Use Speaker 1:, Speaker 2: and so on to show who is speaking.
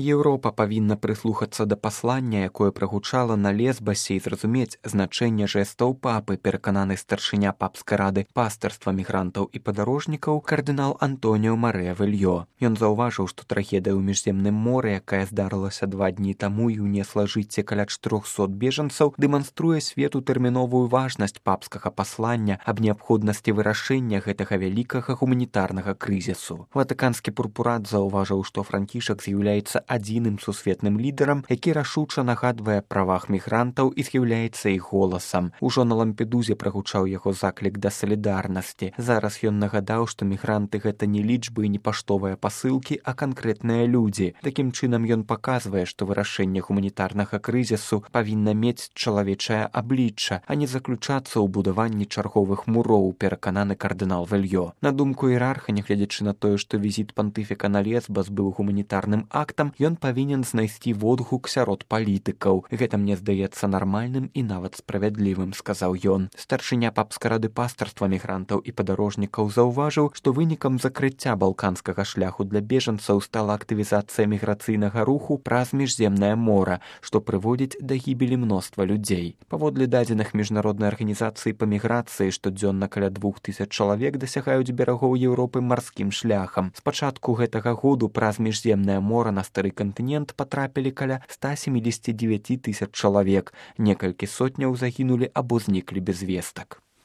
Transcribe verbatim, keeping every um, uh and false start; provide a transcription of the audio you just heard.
Speaker 1: Еўропа павінна прыслухацца да паслання, якое прагучала на Лесбасе, і зразумець значэнне жэстаў папы, перакананы старшыня папскай рады пастырства мігрантаў і падарожнікаў кардынал Антоніо Марыя Вельё. Ён заўважыў, што трагедыя ў міжземным моры, якая здарылася два дні таму і ўнесла жыцці каля чатырохсот бежанцаў, дэманструе свету тэрміновую важнасць папскага паслання аб неабходнасці вырашэння гэтага вялікага гуманітарнага крызісу. Ватыканскі пурпурат заўважыў, што Франкішак з'яўляецца адзіным сусветным лідарам, які рашуча нагадвае правах мігрантаў і з'яўляецца іх голасам. Ужо на Лампедузе прагучаў яго заклік да салідарнасці. Зараз ён нагадаў, што мігранты гэта не лічбы і не паштовыя пасылкі, а канкрэтныя людзі. Такім чынам ён паказвае, што вырашэнне гуманітарнага крызісу павінна мець чалавечае аблічча, а не заключацца ў будаванні чарговых муроў, перакананы кардынал Вельё. На думку іерарха, нягледзячы на тое, што візіт пантыфіка на Лесбас быў гуманітарным актам, ён павінен знайсці водгук сярод палітыкаў. Гэта мне здаецца нармальным і нават справядлівым, сказаў ён. Старшыня папскай рады пастырства мігрантаў і падарожнікаў заўважыў, што вынікам закрыцця балканскага шляху для бежанцаў стала актывізацыя міграцыйнага руху праз міжземнае мора, што прыводзіць да гібелі мноства людзей. Паводле дадзеных міжнароднай арганізацыі па міграцыі штодзённа каля двух тысяч чалавек дасягаюць берагоў Еўропы марскім шляхам. З пачатку гэтага году праз міжземнае мора на стары кантынент патрапілі каля ста семидесяти девяти тысяч чалавек. Некалькі сотняў загінулі або зніклі без вестак.